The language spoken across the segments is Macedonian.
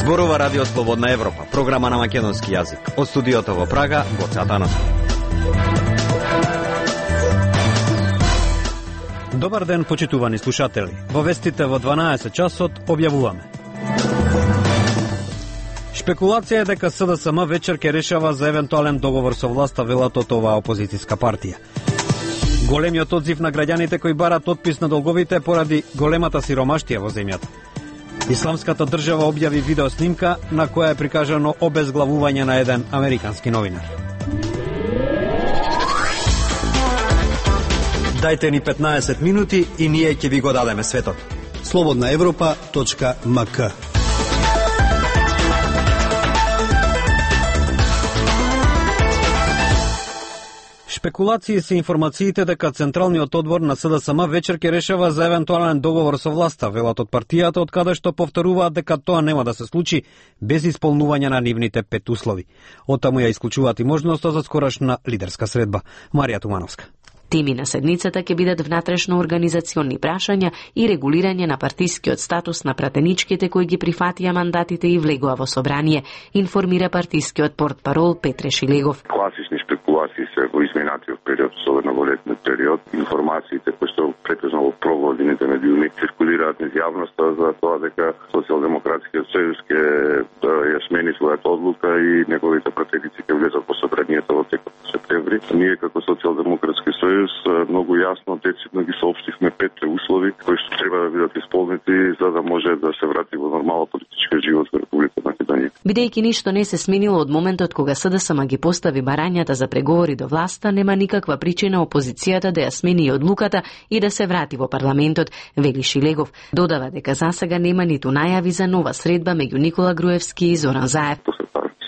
Зборува Радио Слободна Европа, програма на македонски јазик. Од студиото во Прага, Гоце Атанасов. Добар ден, почитувани слушатели. Во вестите во 12 часот објавуваме. Шпекулација е дека СДСМ вечер ќе решава за евентуален договор со власта, велат од оваа опозицијска партија. Големиот одзив на граѓаните кои барат отпис на долговите поради големата сиромаштија во земјата. Исламската држава објави видеоснимка на која е прикажано обезглавување на еден американски новинар. Дајте ни 15 минути и ние ќе ви го дадеме светот. slobodnaevropa.mk. Шпекулации се информациите дека Централниот одбор на СДСМ вечер ќе решава за евентуален договор со власта, велат од партијата, од каде што повторуваат дека тоа нема да се случи без исполнување на нивните 5 услови. Оттаму ја исклучуваат и можноста за скорашна лидерска средба. Марија Тумановска. Теми на седницата ќе бидат внатрешно организациони прашања и регулирање на партискиот статус на пратеничките кои ги прифатија мандатите и влегува во собрание, информира партискиот портпарол Петре Шилегов. Класични шпекулации се во изминатиот период, особено во летниот период. Информациите кои што претежно во провладините медиуми циркулираат низ јавноста за тоа дека Социјалдемократскиот сојуз ќе ја смени својата одлука и неговите пратеници ќе влезат во собранието во текот на септември. Ние како Социјалдемократски сојуз многу јасно, децидно ги соопштивме 5 услови кои што треба да бидат исполнети за да може да се врати во нормален политички живот во Република Македонија. Бидејќи ништо не се сменило од моментот кога СДСМ ги постави барањата за преговори до власта, нема никаква причина опозицијата да ја смени одлуката и да се врати во парламентот, вели Шилегов. Додава дека засега нема ниту најави за нова средба меѓу Никола Груевски и Зоран Заев.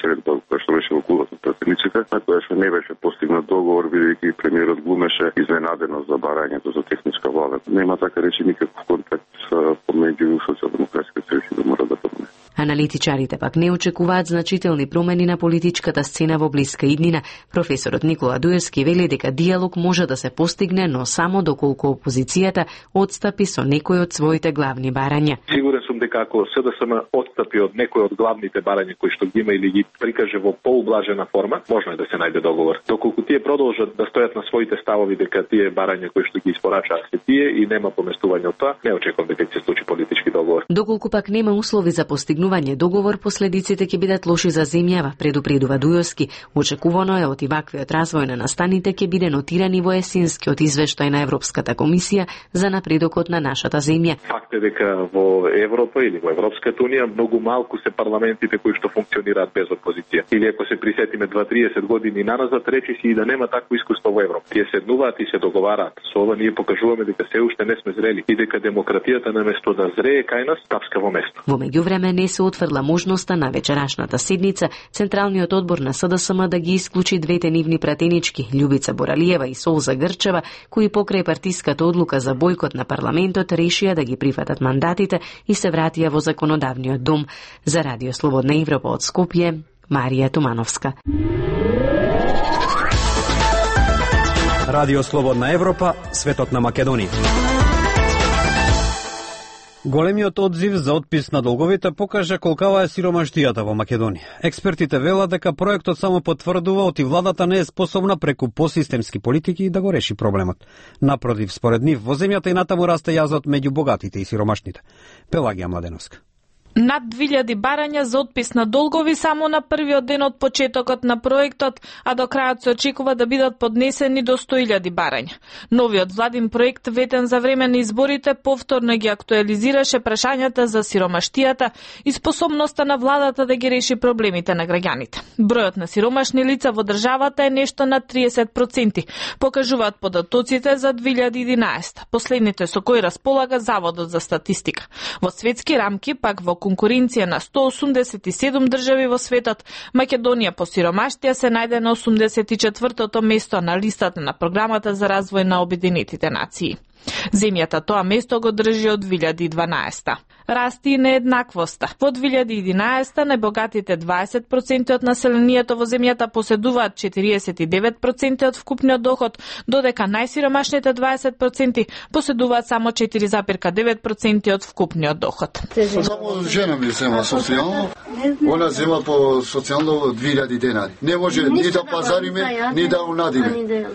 Средба која што беше во клубот на пратениците, на која што не беше постигнат договор, бидејќи премиерот глумеше изненадено за барањето за техничка влада. Нема така речи никаков контакт помеѓу Социјалдемократскиот сојуз и ВМРО. Аналитичарите пак не очекуваат значителни промени на политичката сцена во блиска иднина. Професорот Никола Дуевски вели дека диалог може да се постигне, но само доколку опозицијата отстапи со некои од своите главни барања. Сигурен сум дека ако СДСМ отстапи од некои од главните барања кои што ги има или ги прикаже во поублажена форма, можно е да се најде договор. Доколку тие продолжат да стојат на своите ставови дека тие барања кои што ги испорачаат се тие и нема поместување од тоа, не очекувам дека ќе се случи политички договор. Доколку пак нема услови за постигнување договор, последиците ќе бидат лоши за земјава, предупредува Дуевски. Очекувано е од и ваквиот развој на настаните ќе биде нотирани во есенскиот извештај на Европската комисија за напредокот на нашата земја. Факт е дека во Европа или во Европската унија многу малку се парламентите кои што функционираат без опозиција. Или ако се присетиме 20-30 години наназад, речиси и да нема такво искуство во Европа. Тие седнуваат и се договараат. Со ова ние покажуваме дека се уште не сме зрели и дека демократијата наместо да зрее кај нас, тапска во место. Во меѓувреме не се отфрла можноста на вечерашната седница Централниот одбор на СДСМ да ги исклучи двете нивни пратенички, Љубица Боралиева и Солза Грчева, кои покрај партиската одлука за бојкот на парламентот решија да ги прифатат мандатите и се вратија во законодавниот дом. За Радио Слободна Европа од Скопје, Марија Тумановска. Радио Слободна Европа, светот на Македонија. Големиот одзив за отпис на долговите покажа колкава е сиромаштијата во Македонија. Експертите велат дека проектот само потврдува оти владата не е способна преку посистемски политики да го реши проблемот. Напротив, според нив, во земјата и натаму расте јазот меѓу богатите и сиромашните. Пелагија Младеновска. Над 2000 барања за отпис на долгови само на првиот ден од почетокот на проектот, а до крајот се очекува да бидат поднесени до 100.000 барања. Новиот владин проект, ветен за време на изборите, повторно ги актуализираше прашањата за сиромаштијата и способноста на владата да ги реши проблемите на граѓаните. Бројот на сиромашни лица во државата е нешто над 30%, покажуваат податоците за 2011, последните со кои располага Заводот за статистика. Во светски рамки, пак во конкуренција на 187 држави во светот, Македонија по сиромаштија се најде на 84-тото место на листата на програмата за развој на Обединетите нации. Земјата тоа место го држи од 2012. Расти и нееднаквоста. Во 2011 најбогатите 20% од населението во земјата поседуваат 49% од вкупниот доход, додека најсиромашните 20% поседуваат само 4,9% од вкупниот доход. Само жена ми зема социјално, она зема по социјално 2000 денари. Не може ни да пазариме, ни да унадиме.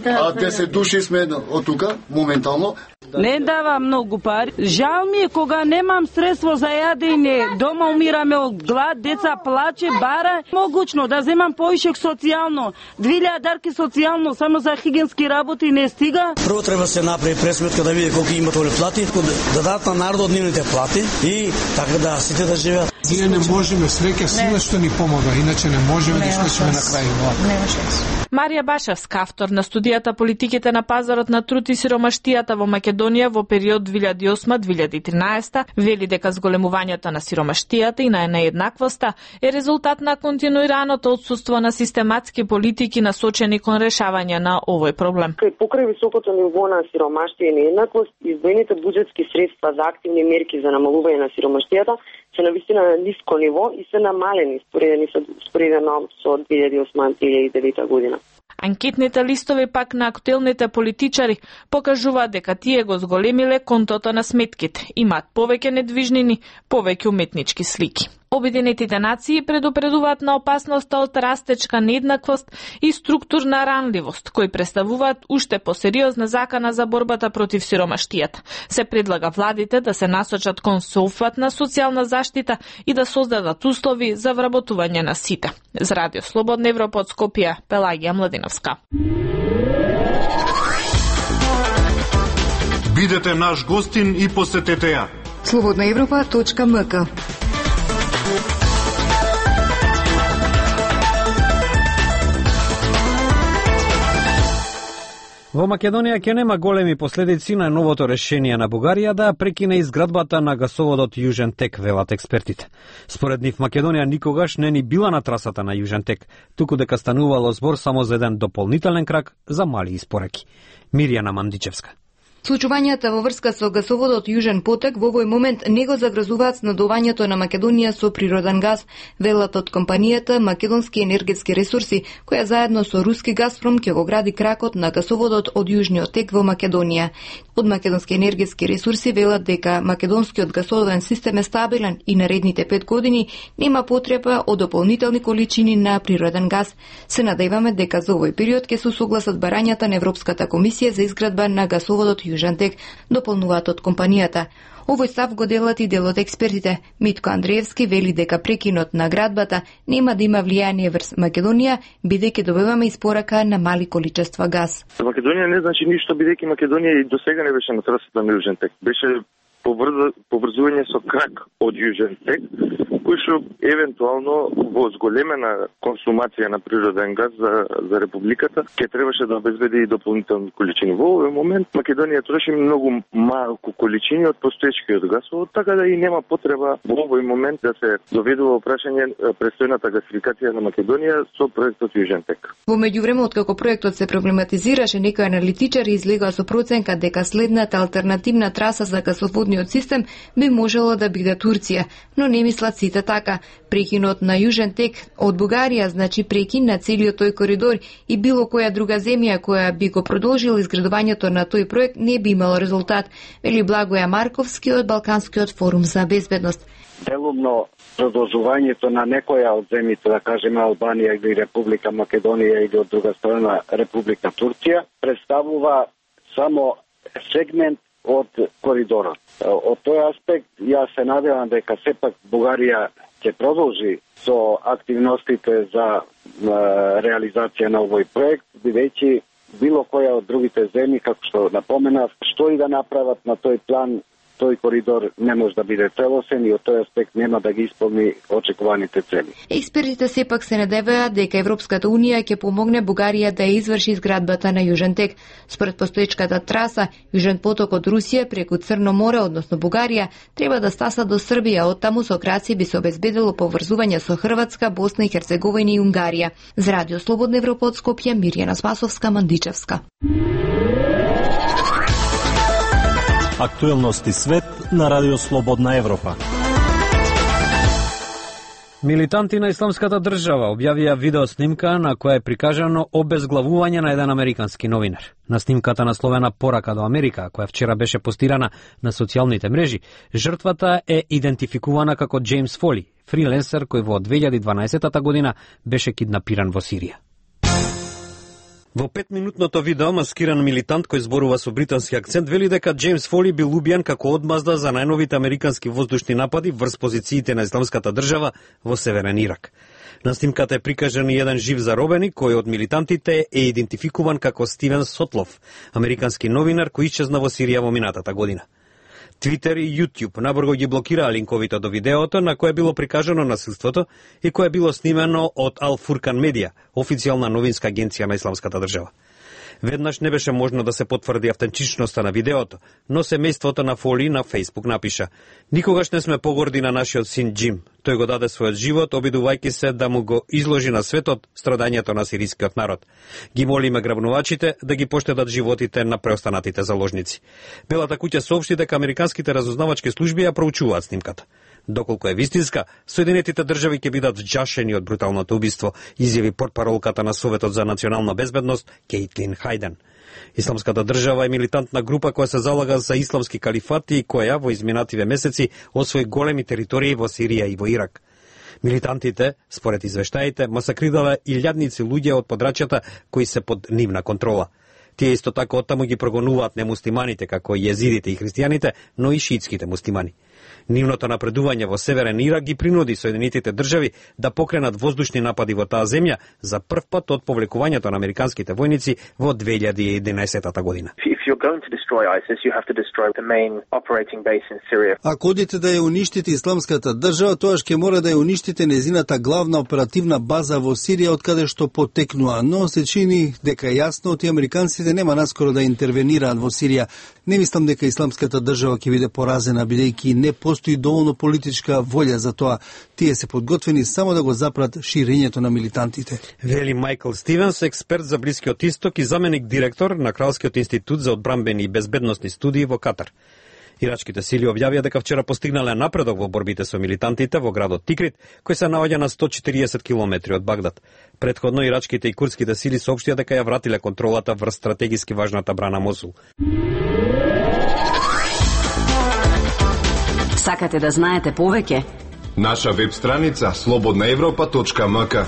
А 10 души сме од тука, моментално. Не дава многу пари. Жал ми е кога немам средство за јадење, дома умираме од глад, деца плаче, бара. Могучно да земам поишек социјално. 2000 дарки социјално, само за хигиенски работи не стига. Прво треба се направи пресметка да види колку има толе плати, да дадат на народот нивните плати и така да сите да живеат. Ние не можеме, среќа сила што ни помага, иначе не можеме да свршиме на крај. Марија Башевска, автор на студијата Политиките на пазарот на труд и сиромаштијата во Македонија во период 2008-2013, вели дека зголемувањето на сиромаштијата и на нееднаквоста е резултат на континуираното отсуство на систематски политики насочени кон решавање на овој проблем. Покрај високото ниво на сиромаштија и нееднаквост, издвоените буџетски средства за активни мерки за намалување на сиромаштијата се навистина на ниско ниво и се намалени споредено со 2008-2009 година. Анкетните листови пак на актуелните политичари покажуваат дека тие го зголемиле контото на сметките, имаат повеќе недвижнини, повеќе уметнички слики. Обединетите нации предупредуваат на опасноста од растечка нееднаквост и структурна ранливост, кои представуваат уште посериозна закана за борбата против сиромаштијата. Се предлага владите да се насочат кон соопфатна социјална заштита и да создадат услови за вработување на сите. За Радио Слободна Европа од Скопје, Пелагија Младиновска. Бидете наш гостин и посетете ја. slobodnaevropa.mk. Во Македонија ќе нема големи последици на новото решение на Бугарија да прекине изградбата на гасоводот Јужен Тек, велат експертите. Според нив Македонија никогаш не ни била на трасата на Јужен Тек, туку дека станувало збор само за еден дополнителен крак за мали испораки. Мирјана Мандичевска. Случувањата во врска со гасоводот Јужен потек во овој момент не го загрозуваат снабдувањето на Македонија со природен газ, велат од компанијата Македонски енергетски ресурси, која заедно со руски Газпром ќе го гради кракот на гасоводот од Јужниот тек во Македонија. Од Македонски енергетски ресурси велат дека македонскиот гасоводен систем е стабилен и наредните 5 години нема потреба од дополнителни количини на природен газ. Се надеваме дека за овој период ќе се согласат барањата на Европската комисија за изградба на гасоводот Јужен тек, дополнуваат од компанијата. Овој став го делат и дел од експертите. Митко Андреевски вели дека прекинот на градбата нема да има влијание врз Македонија, бидејќи добиваме испорака на мали количества газ. Македонија не значи ништо, бидејќи Македонија и досега не беше на трасата на Јужен тек. Беше поврзување со крак од Јужен тек, кој што евентуално во зголемена консумација на природен газ за републиката ќе требаше да обезбеди и дополнителни количини. Во овој момент Македонија троши многу малку количини од постоечкиот гасовод, така да и нема потреба во овој момент да се доведува прашање престојната гасификација на Македонија со проектот Јужен тек. Во меѓувреме, откако проектот се проблематизираше, некои аналитичари излегоа со проценка дека следната алтернативна траса за гасоводниот систем би можело да биде Турција, но не мислат сите така. Прекинот на Јужен тек од Бугарија значи прекин на целиот тој коридор и било која друга земја која би го продолжила изградувањето на тој проект не би имало резултат, вели Благоја Марковски од Балканскиот форум за безбедност. Делумно продолжувањето на некоја од земјите, да кажеме Албанија или Република Македонија или од друга страна Република Турција, представува само сегмент од коридорот. Од тој аспект, јас се надевам дека сепак Бугарија ќе продолжи со активностите за реализација на овој проект, бидејќи било која од другите земји, како што напоменав, што и да направат на тој план, тој коридор не може да биде целосен и од тој аспект нема да ги исполни очекуваните цели. Експертите сепак се надеваат дека Европската унија ќе помогне Бугарија да изврши изградбата на Јужен тек. Според постоечката траса, Јужен поток од Русија преку Црно море, односно Бугарија, треба да стаса до Србија, од таму со краци би се обезбедило поврзување со Хрватска, Босна и Херцеговина и Унгарија. За Радио Слободна Европа од Скопје, Мирјана Спасовска, Мандичевска. Актуелности свет на Радио Слободна Европа. Милитанти на Исламската држава објавија видеоснимка на која е прикажано обезглавување на еден американски новинар. На снимката насловена "Порака до Америка", која вчера беше постирана на социјалните мрежи, жртвата е идентификувана како Джеймс Фоли, фриленсер кој во 2012 година беше киднапиран во Сирија. Во 5-минутното видео маскиран милитант кој зборува со британски акцент вели дека Джеймс Фоли бил убиен како одмазда за најновите американски воздушни напади врз позициите на Исламската држава во северен Ирак. На снимката е прикажан и еден жив заробеник кој од милитантите е идентификуван како Стивен Сотлов, американски новинар кој исчезна во Сирија во минатата година. Твитер и YouTube набрзо ги блокираа линковите до видеото на кое било прикажано насилството и кое било снимено од Ал Фуркан Медија, официјална новинска агенција на Исламската држава. Веднаш не беше можно да се потврди автентичноста на видеото, но семејството на Фоли на Facebook напиша: "Никогаш не сме погорди на нашиот син Джим. Тој го даде својот живот, обидувајќи се да му го изложи на светот страдањето на сирискиот народ. Ги молиме грабнувачите да ги поштедат животите на преостанатите заложници." Белата куќа соопшти дека американските разузнавачки служби ја проучуваат снимката. Доколку е вистинска, Соединетите држави ќе бидат вџашени од бруталното убиство, изјави портпаролката на Советот за национална безбедност Кейтлин Хајден. Исламската држава е милитантна група која се залага за исламски калифат и која во изминативе месеци освои големи територии во Сирија и во Ирак. Милитантите, според извештаите, масакрирале илјадници луѓе од подрачјата кои се под нивна контрола. Тие исто така оттаму ги прогонуваат немуслиманите, како и језидите и христијаните, но и шиитските муслимани. Нивното напредување во северен Ирак ги принуди Соединетите држави да покренат воздушни напади во таа земја за прв пат од повлекувањето на американските војници во 2011 година. Ако одите да ја уништите Исламската држава, тоаш ќе мора да ја уништите незината главна оперативна база во Сирија, од каде што потекнува, но се чини дека јасно тие американците нема наскоро да интервенираат во Сирија. Не мислам дека Исламската држава ќе биде поразена, бидејќи не постои доволно политичка волја за тоа. Тие се подготвени само да го запрат ширењето на милитантите. Вели Майкл Стивенс, експерт за Блискиот Исток и заменик директор на Кралскиот институт за одбранбени и безбедносни студии во Катар. Ирачките сили објавија дека вчера постигнале напредок во борбите со милитантите во градот Тикрит, кој се наоѓа на 140 километри од Багдад. Предходно ирачките и курдските сили соопштија дека ја вратиле контролата врз стратегиски важната брана Мосул. Сакате да знаете повеќе? Наша веб страница slobodnaevropa.mk.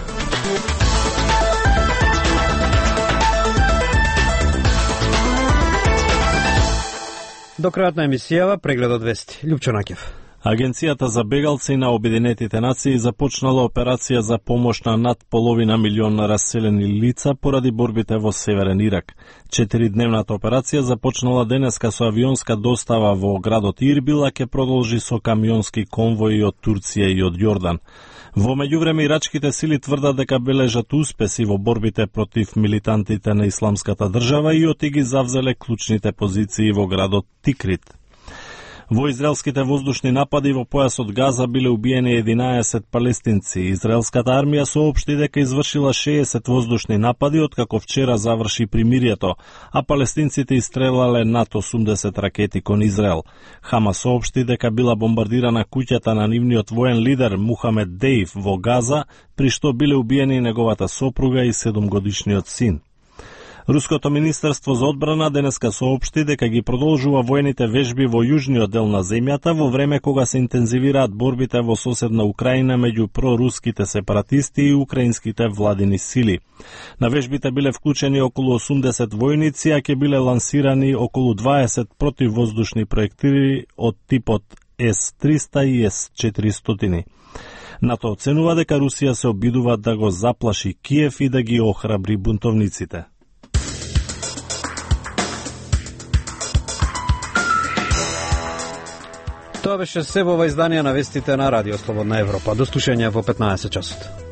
До крајот на емисијава прегледот вести. Лјупчо Наќев. Агенцијата за бегалци на Обединетите нации започнала операција за помош на над половина милион раселени лица поради борбите во Северен Ирак. 4-дневната операција започнала денеска со авионска достава во градот Ирбил, а ќе продолжи со камионски конвои од Турција и од Јордан. Во меѓувреме ирачките сили тврдат дека бележат успеси во борбите против милитантите на Исламската држава и оти ги завзеле клучните позиции во градот Тикрит. Во израелските воздушни напади во појасот Газа биле убиени 11 палестинци. Израелската армија соопшти дека извршила 60 воздушни напади откако вчера заврши примирието, а палестинците истрелале над 80 ракети кон Израел. Хамас соопшти дека била бомбардирана куќата на нивниот воен лидер Мухамед Дејв во Газа, при што биле убиени неговата сопруга и 7-годишниот син. Руското министерство за одбрана денеска соопшти дека ги продолжува воените вежби во јужниот дел на земјата во време кога се интензивираат борбите во соседна Украина меѓу проруските сепаратисти и украинските владини сили. На вежбите биле вклучени околу 80 војници, а ќе биле лансирани околу 20 противвоздушни проектили од типот С-300 и С-400. НАТО оценува дека Русија се обидува да го заплаши Киев и да ги охрабри бунтовниците. Тоа беше се во ова издание на вестите на Радио Слободна Европа. До слушање во 15 часот.